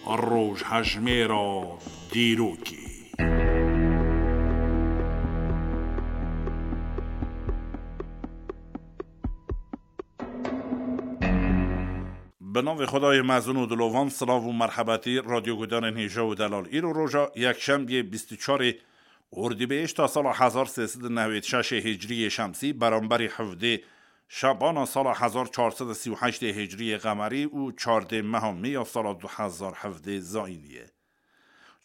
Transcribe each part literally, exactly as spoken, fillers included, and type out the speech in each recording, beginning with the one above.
Rojhejmêra dîrokê. Bi navê Xwedayê mezin û dilovan, silav û merhebetî radyoguhdarên hêja û delal. Îro roja yekşembiyê bîst û çarê Ordîbehişta sala hezar sê sed û newêd şeşê hicriyê şemsî, beramberî hevdê Şebana sala hezar çar sed û sî û heştê hicriyê qemerî û çardê meha Mê ya sala du hezar hevdê zayînî ye.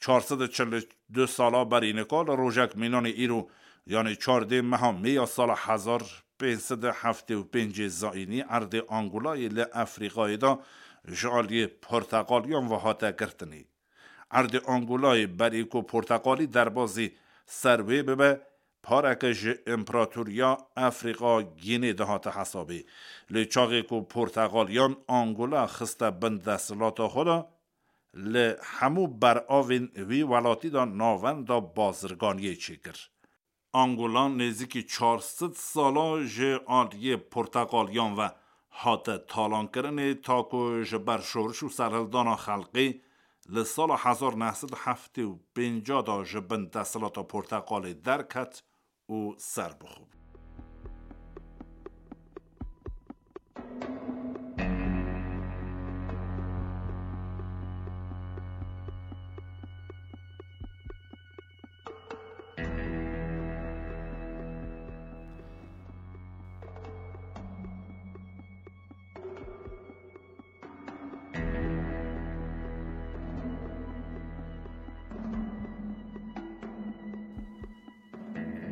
Çar sed û çil û du sala berî nika li rojek mînanê îro, yanî çardê meha Mê ya sala hezar pênc sed û heftê û pêncê zayînî, erdê Angolayê li Efrîqayê de ji aliyê porteqaliyan ve hate girtinê. Erdê Angolayê berî ku porteqalî derbazî ser wê bibe, pareke ji Împaratoriya Efrîqa Gînê dihate hesabê. Lê çaxê ku porteqaliyan Angola xiste bin desthilata xwe de, li hemû beravên wî welatî de navenda bazirganiyê çêkir. Angola nêzîkî çar sed sala ji aliyê porteqaliyan ve hate talankirinê, ta ku ji ber şoriş û serhildana xelkê li sala hezar neh sed û heftê û pênc de ji bin desthilata porteqalê derket û serbixwe bû.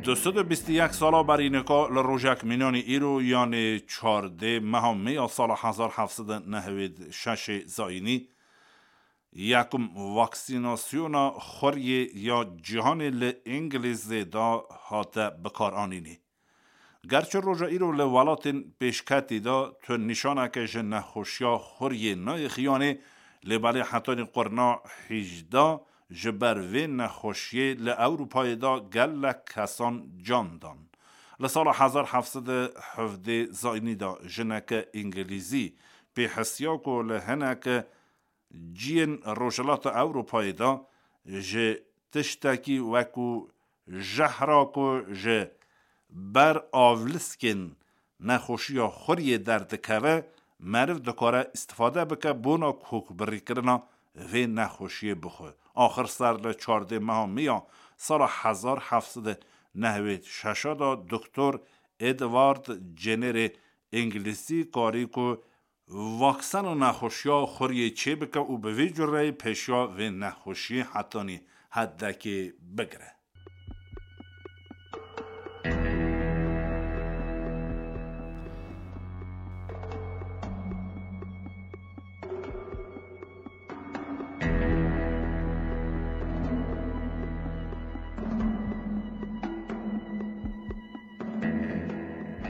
Du sed û bîst û yek sala berî nika li rojek mînanî îro, yanê çardê meha Mê ya sala hezar heft sed û nehwêd şeşê zayînî, yekum vaksînasyona xuriyê ya cîhanê li Îngilîzê de hate bikaranînê. Gerçi roja îro li welatên pêşketî de tu nîşaneke ji nexweşiya xuriyê nayê xiyanê, lê belê hetanî qurna hîjda ji ber vê nexweşiyê li Ewropayê de gelek kesan can dan. Li sala hezar heft sed û hevdê zayînî de jineke Îngilîzî pê hesiya ku li hineke ciyên Rojhilata Ewropayê de ji tiştekî wekû jehra ku ji ber avliskên nexweşiya xuriyê derdikeve, meriv dikare îstifade bike bona kokbirîkirina vê nexweşiyê bixwe. Axir ser li çardê meha Mê ya sala hezar heft sed û nehwêd şeş de Doktor Edward Jennerê Îngilîzî karî ku vaksen û nexweşiya xuriyê çêbike û bi vî cureyî pêşiya vê nexweşiyê hetanî hedekê bigire.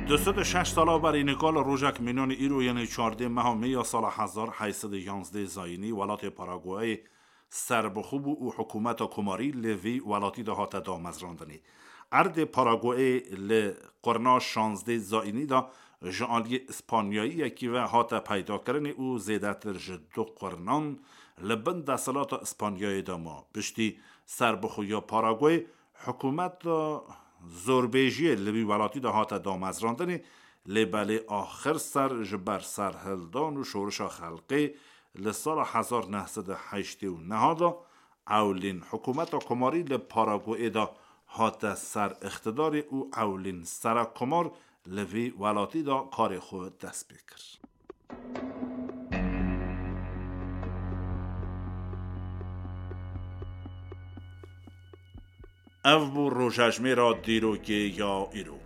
Du sed û şeş sala berî nika li rojek mînanî îro, yanê çardê meha Mê ya sala hezar heyt sed û yanzdeh zayînî, welatê Paraguayê serbixwe bû û hikûmeta komarî li vî welatî de hate damezrandinê. Erdê Paraguayê li qurna şazdeh zayînî de ji aliyê Îspanyayiyekî ve hate peydakirinê û zêdetir ji du qurnan li bin desthilata Îspanyayê de ma. Piştî serbixweya Paraguay, hikûmeta zorbêjiyê li wî welatî de hate damezrandinê, lê belê axir ser ji ber serhildan û şorişa xelkê li sala hezar neh sed û heştê û neh de ewlîn hikûmeta komarî li Paraguayê de hate ser îqtidarê û ewlîn serekkomar li vî welatî de karê xwe dest pê kir. Ev bû rojejmêra dîrokê ya îro.